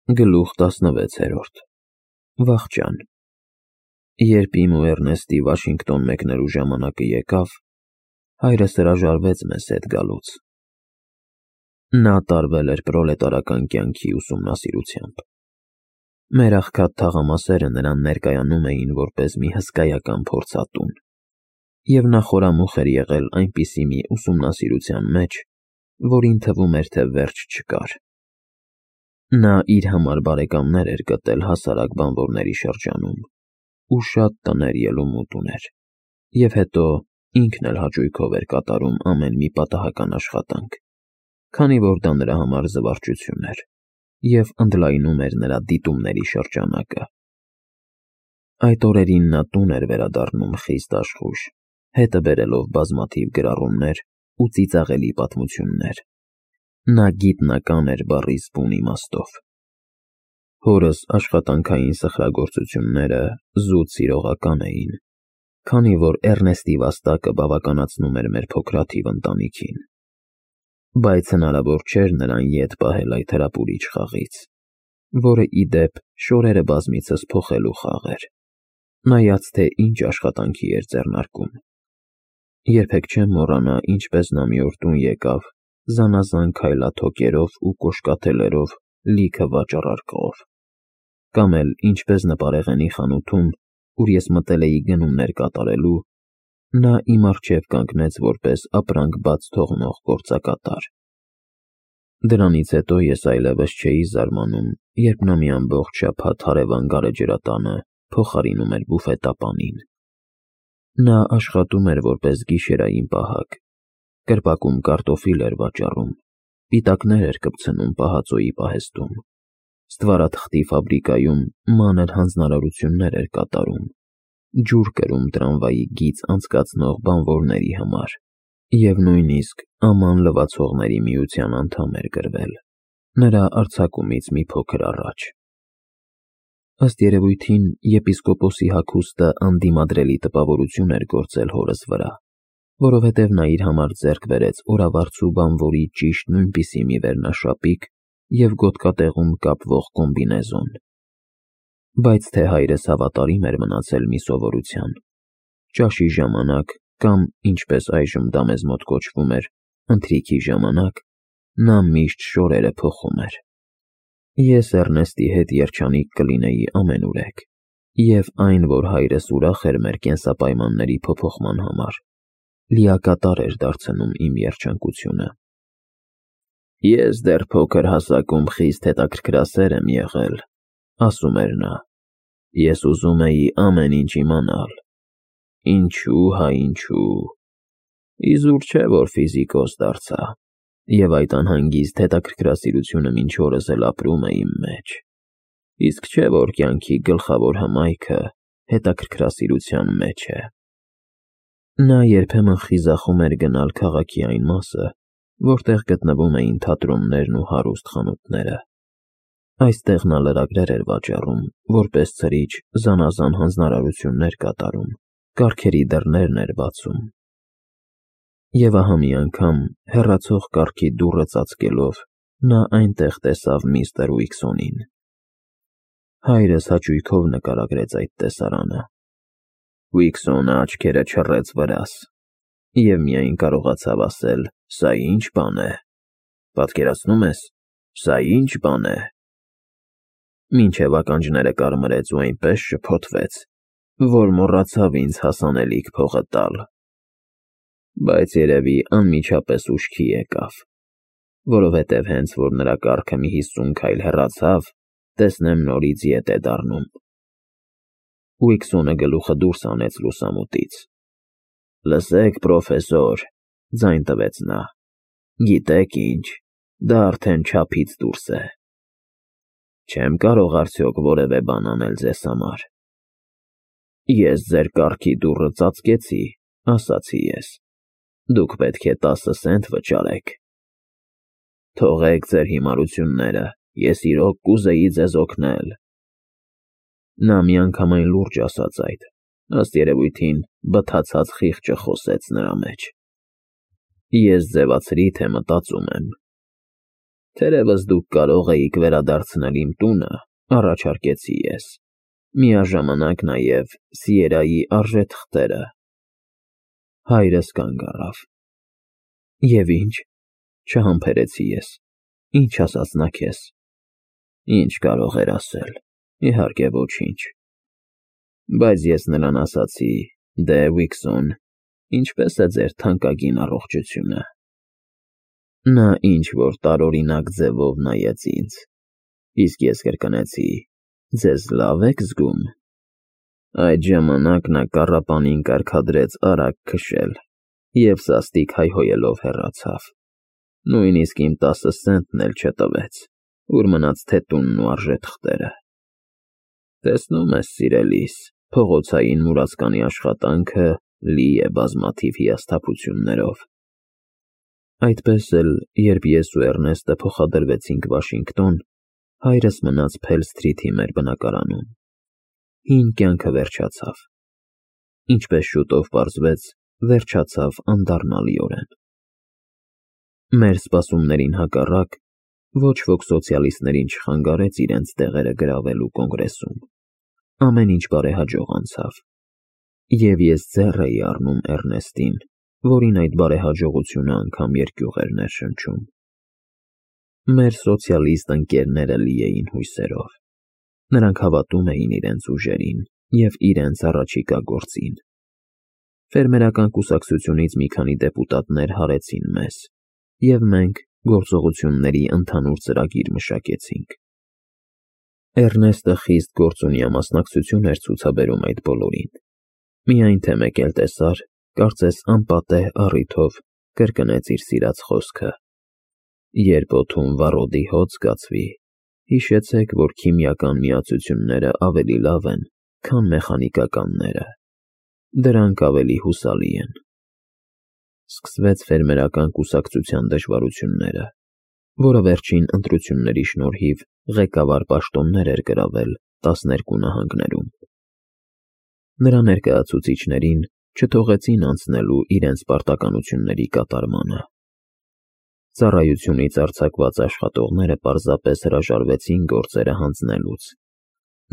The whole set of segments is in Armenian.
Գլուխ 16 Վախճան Երբ իմ ու Էրնեստի Վաշինգտոն մեկնելու ժամանակը եկավ, հայրս հրաժարվեց մեզ հետ գալուց։ Նա տարվել էր պրոլետարական կյանքի ուսումնասիրությամբ։ Մեր աղքատ թաղամասերը նրան ներկայանում էին որպես մի հսկայական փորձատուն, և նա խորամուխ էր եղել այնպիսի մի ուսումնասիրության մեջ, որին թվում էր, թե վերջ չկար։ Նա իր համար բարեկամներ էր գտել հասարակ բանվորների շրջանում ու շատ տներ ելումուտ ուներ, և հետո ինքն էլ հաճույքով էր կատարում ամեն մի պատահական աշխատանք, քանի որ դա նրա համար զվարճություն էր և ընդլայնում էր նրա դիտումների շրջանակը։ Այդ օրերին նա տուն էր վերադառնում խիստ աշխույժ, հետը բերելով բազմաթիվ գրառումներ ու ծիծաղելի պատմություններ։ Նա գիտնական էր բառի բուն իմաստով։ Հորս աշխատանքային սխրագործությունները զուտ սիրողական էին, քանի որ Էրնեստի վաստակը բավականացնում էր մեր փոքրաթիվ ընտանիքին, բայց հնարավոր չէր նրան ետ պահել այդ հրապուրիչ խաղից, որը ի դեպ շորերը բազմիցս փոխելու խաղ էր, նայած թե ինչ աշխատանքի էր ձեռնարկում։ Երբեք չեմ մոռանա, ինչպես նա մի օր տուն եկավ զանազան քայլաթոկերով ու կոշկաթելերով լիքը վաճառարկղով, կամ էլ ինչպես նպարեղենի խանութում, ուր ես մտել էի գնումներ կատարելու, նա իմ առջև կանգնեց որպես ապրանք բաց թողնող գործակատար։ Դրանից հետո ես այլևս չէի զարմանում, երբ նա մի ամբողջ շաբաթ հարևան գարեջրատանը փոխարինում էր բուֆետապանին։ Նա աշխատում էր որպես գիշերային պահակ, կրպակում կարտոֆիլ էր վաճառում, պիտակներ էր կպցնում պահածոյի պահեստում, ստվարաթղթի ֆաբրիկայում մանր հանձնարարություններ էր կատարում, ջուր կրում տրամվայի գիծ անցկացնող բանվորների համար և նույնիսկ Աման լվացողների միության անդամ էր գրվել, նրա արձակումից մի փոքր առաջ։ Ըստ երևույթին, եպիսկոպոսի հագուստը անդիմադրելի տպավորություն էր գործել հորս վրա, որովհետև նա իր համար ձեռք բերեց օրավարձու բանվորի ճիշտ նույնպիսի մի վերնաշապիկ և գոտկատեղում կապվող կոմբինեզոն։ Բայց թե հայրս հավատարիմ էր մնացել մի սովորության, ճաշի ժամանակ կամ, ինչպես այժմ դա մեզ մոտ կոչվում էր, ընթրիքի ժամանակ, նա միշտ շորերը փոխում էր։ Ես Էրնեստի հետ երջանիկ կլինեի ամենուրեք, և այն, որ հայրս ուրախ էր մեր կենսապայմանների փոփոխման համար, լիակատար էր դարձնում իմ երջանկությունը։ Ես դեռ փոքր հասակում խիստ հետաքրքրասեր եմ եղել, ասում էր նա, ես ուզում էի ամեն ինչ իմանալ, ինչու, հա ինչու, իզուր չէ, որ ֆիզիկոս դարձա, և այդ անհանգիստ հետաքրքրասիրությունը մինչ օրս էլ ապրում է իմ մեջ, իսկ չէ, որ կյանքի գլխավոր հմայքը հետաքրքրասիրության մեջ է։ Նա երբեմն խիզախում էր գնալ քաղաքի այն մասը, որտեղ գտնվում էին թատրոններն ու հարուստ խանութները։ Այստեղ նա լրագրեր էր վաճառում, որպես ցրիչ զանազան հանձնարարություններ կատարում, կառքերի դռներն էր բացում։ Եվ ահա մի անգամ, հեռացող կառքի դուռը ծածկելով, նա այնտեղ տեսավ միստր Ուիքսոնին։ Հայրս հաճույքով նկարագրեց այդ տեսարանը։ Ուիքսոնը աչքերը չռեց վրաս և միայն կարողացավ ասել. «Սա ի՞նչ բան է, պատկերացնում ես, սա ի՞նչ բան է»։ Մինչև ականջները կարմրեց ու այնպես շփոթվեց, որ մոռացավ ինձ հասանելիք փողը տալ։ Բայց երևի անմիջապես ուշքի եկավ, որովհետև հենց որ նրա կառքը մի 50 քայլ հեռացավ, տեսնեմ նորից ետ է դառնում։ Ուիքսոնը գլուխը դուրս հանեց լուսամուտից։ Լսեք, պրոֆեսոր, ձայն տվեց նա, գիտեք ինչ, դա արդեն չափից դուրս է։ Չեմ կարող արդյոք որևէ բան անել ձեզ համար։ Ես ձեր կառքի դուռը ծածկեցի, ասացի ես, դուք պետք է 10 սենտ վճարեք։ Թողեք ձեր հիմարությունները, ես իրոք կուզեի ձեզ օգնել։ Նա միանգամայն լուրջ ասաց այդ, ըստ երևույթին բթացած խիղճը խոսեց նրա մեջ։ Ես ձևացրի, թե մտածում եմ։ Թերևս դուք կարող էիք վերադարձնել իմ տունը, առաջարկեցի ես, միաժամանակ նաև Սիերայի արժեթղթերը։ Հայրս կանգ առավ։ Եվ ինչ, չհամբերեցի ես, ինչ ասաց նա քեզ։ Ինչ կարող էր ասել, իհարկե ոչինչ։ Բայց ես նրան ասացի, դե Վիքսոն, ինչպես է ձեր թանկագին առողջությունը։ Նա ինչ-որ տարօրինակ ձևով նայեց ինձ, իսկ ես կրկնեցի. ձեզ լավ եք զգում։ Այդ ժամանակ նա կառապանին կարգադրեց արագ քշել և սաստիկ հայհոյելով հեռացավ։ Նույնիսկ իմ 10 սենտն էլ չտվեց, ուր մնաց թե տունն ու արժեթղթերը։ Տեսնում ես, սիրելիս, փողոցային մուրացկանի աշխատանքը լի է բազմաթիվ հիասթափություններով։ Այդպես էլ, երբ ես ու Էռնեստը փոխադրվեցինք Վաշինգտոն, հայրս մնաց Փել Սթրիթի մեր բնակարանում։ Հին կյանքը վերջացավ։ Ինչպես շուտով պարզվեց, վերջացավ անդառնալիորեն։ Մեր սպասումներին հակառակ, ոչ ոք սոցիալիստներին չխանգարեց իրենց տեղերը գրավելու կոնգրեսում։ Ամեն ինչ բարեհաջող անցավ։ Եվ ես ձեռ էի առնում Էռնեստին, որին այդ բարեհաջողությունը անգամ երկյուղ էր ներշնչում։ Մեր սոցիալիստ ընկերները լի էին հույսերով։ Նրանք հավատում էին իրենց ուժերին և իրենց առաջիկա գործին։ Ֆերմերական կուսակցությունից մի քանի դեպուտատներ հարեցին մեզ, և մենք գործողությունների ընդհանուր ծրագիր մշակեցինք։ Էռնեստը խիստ գործունյա մասնակցություն էր ցուցաբերում այդ բոլորին։ Միայն թե մեկ էլ տեսար, կարծես անպատեհ առիթով կրկնեց իր սիրած խոսքը. երբ օդում վառոդի հոտ զգացվի, հիշեցեք, որ քիմիական միացությունները ավելի լավ են, քան մեխանիկականները։ Դրանք ավելի հուսալի են։ Սկսվեց ֆերմերական կուսակցության դժվարությունները, որը վերջին ընտրությունների շնորհիվ ղեկավար պաշտոններ էր գրավել 12 նահանգներում։ Նրա ներկայացուցիչներին չթողեցին անցնելու իրենց պարտականությունների կատարմանը։ Ծառայությունից արձակված աշխատողները պարզապես հրաժարվեցին գործերը հանձնելուց։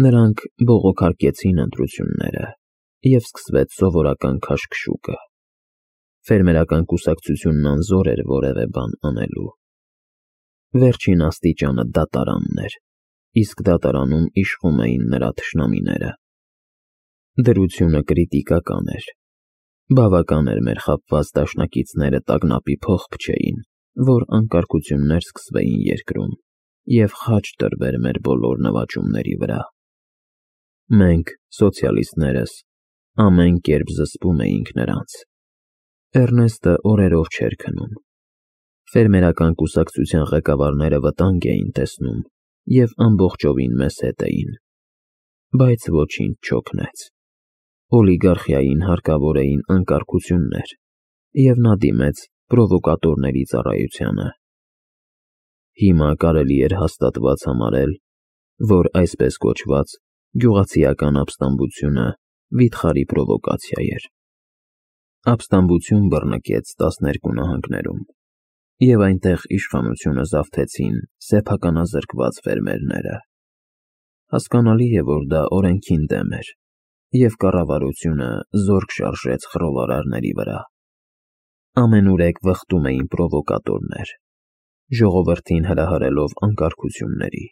Նրանք բողոքարկեցին ընտրությունները, և սկսվեց սովորական քաշքշուկը։ Ֆերմերական կուսակցությունն անզոր էր որևէ բան անելու։ Վերջին աստիճանը դատարանն էր, իսկ դատարանում իշխում էին նրա թշնամիները։ Դրությունը կրիտիկական էր։ Բավական էր մեր խաբված դաշնակիցները տագնապի փող փչեին, որ անկարգություններ սկսվեին երկրում, և խաչ տրվեր մեր բոլոր նվաճումների վրա։ Մենք, սոցիալիստներս, ամեն կերպ զսպում էինք նրանց։ Էռնեստը օրերով չէր քնում։ Ֆերմերական կուսակցության ղեկավարները վտանգ էին տեսնում և ամբողջովին մեզ հետ էին։ Բայց ոչինչ չօգնեց։ Օլիգարխիային հարկավոր էին անկարգություններ, և նա դիմեց պրովոկատորների ծառայությանը։ Հիմա կարելի էր հաստատված համարել, որ այսպես կոչված գյուղացիական ապստամբությունը վիթխարի պրովոկացիա էր։ Ապստամբություն բռնկեց 12 նահանգներում, և այնտեղ իշխանությունը զավթեցին սեփականազրկված ֆերմերները։ Հասկանալի է, որ դա օրենքին դեմ էր, և կառավարությունը զորք շարժեց խռովարարների վրա։ Ամենուրեք վխտում էին պրովոկատորներ, ժողովրդին հրահրելով անկարգությունների։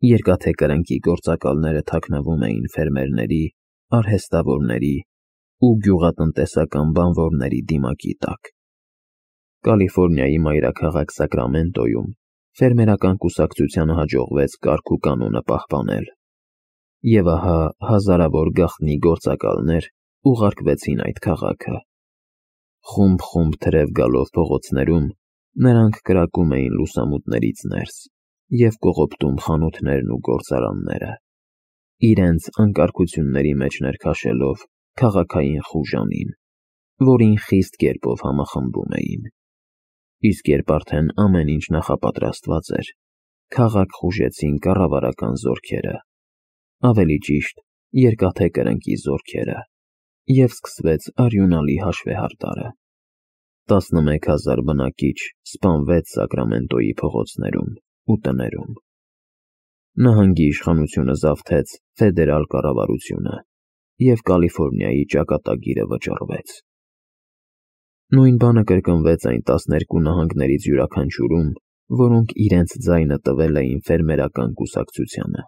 Երկաթե կրնկի գործակալները թաքնվում էին ֆերմերների, արհեստավորների ու գյուղատնտեսական բանվորների դիմակի տակ։ Կալիֆոռնիայի մայրաքաղաք Սակրամենտոյում ֆերմերական կուսակցությանը հաջողվեց կարգ ու կանոնը պահպանել։ Եվ ահա հազարավոր գաղտնի գործակալներ ուղարկվեցին այդ քաղաքը։ Խումբ-խումբ թրև գալով փողոցներում, նրանք կրակում էին լուսամուտներից ներս և կողոպտում խանութներն ու գործարանները, իրենց անկարգությունների մեջ ներքաշելով քաղաքային խուժանին, որին խիստ կերպով համախմբում էին։ Իսկ երբ արդեն ամեն ինչ նախապատրաստված էր, քաղաք խուժեցին կառավարական զորքերը, ավելի ճիշտ, երկաթե կրնկի զորքերը, և սկսվեց արյունալի հաշվեհարդարը։ 11,000 բնակիչ սպանվեց Սակրամենտոյի փողոցներում ու տներում։ Նահանգի իշխանությունը զավթեց ֆեդերալ կառավարությունը, և Կալիֆոռնիայի ճակատագիրը վճռվեց։ Նույն բանը կրկնվեց այն 12 նահանգներից յուրաքանչյուրում, որոնք իրենց ձայնը տվել էին ֆերմերական կուսակցությանը։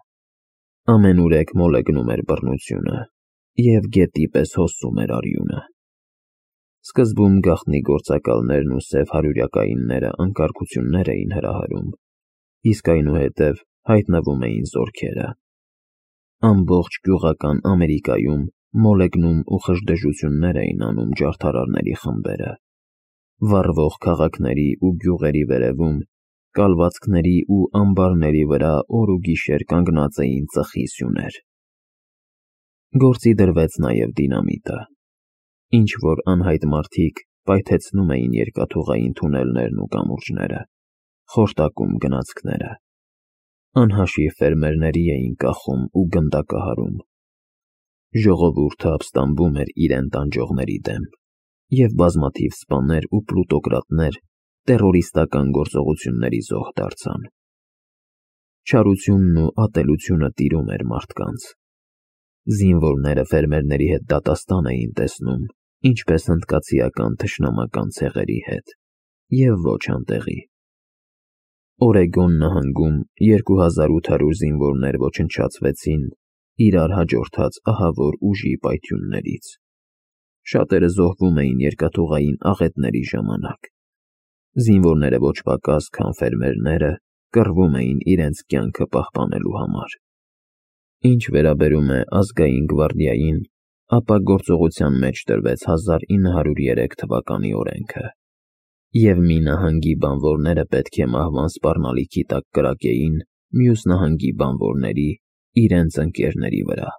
Ամենուրեք մոլեգնում էր բռնությունը, և գետի պես հոսում էր արյունը։ Սկզբում գաղտնի գործակալներն ու սև հարյուրյակայինները անկարգություններ էին հրահրում, իսկ այնուհետև հայտնվում էին զորքերը։ Ամբողջ գյուղական Ամերիկայում մոլեգնում ու խժդժություններ էին անում ջարդարարների խմբերը։ Վառվող քաղաքների ու գյուղերի վերևում, կալվածքների ու ամբարների վրա օր ու գիշեր կանգնած էին ծխի սյուներ։ Գործի դրվեց նաև դինամիտը, ինչ-որ անհայտ մարդիկ պայթեցնում էին երկաթուղային թունելներն ու կամուրջները, խորտակում գնացքները։ Անհաշիվ ֆերմերների էին կախում ու գնդակահարում։ Ժողովուրդը ապստամբում էր իրեն տանջողների դեմ, և բազմաթիվ սպաներ ու պլուտոկրատներ տեռորիստական գործողությունների զոհ դարձան։ Չարությունն ու ատելությունը տիրում էր մարդկանց։ Զինվորները ֆերմերների հետ դատաստան էին տեսնում, ինչպես հնդկացիական թշնամական ցեղերի հետ, և ոչ անտեղի։ Օրեգոն նահանգում 2800 զինվորներ ոչնչացվեցին իրար հաջորդած ահավոր ուժի պայթյուններից։ Շատերը զոհվում էին երկաթուղային աղետների ժամանակ։ Զինվորները ոչ պակաս, քան ֆերմերները, կռվում էին իրենց կյանքը պահպանելու համար։ Ինչ վերաբերում է ազգային գվարդիային, ապա գործողության մեջ դրվեց 1903 թվականի օրենքը, և մի նահանգի բանվորները պետք է մահվան սպառնալիքի տակ կրակեին մյուս նահանգի բանվորների իրենց ընկերների վրա։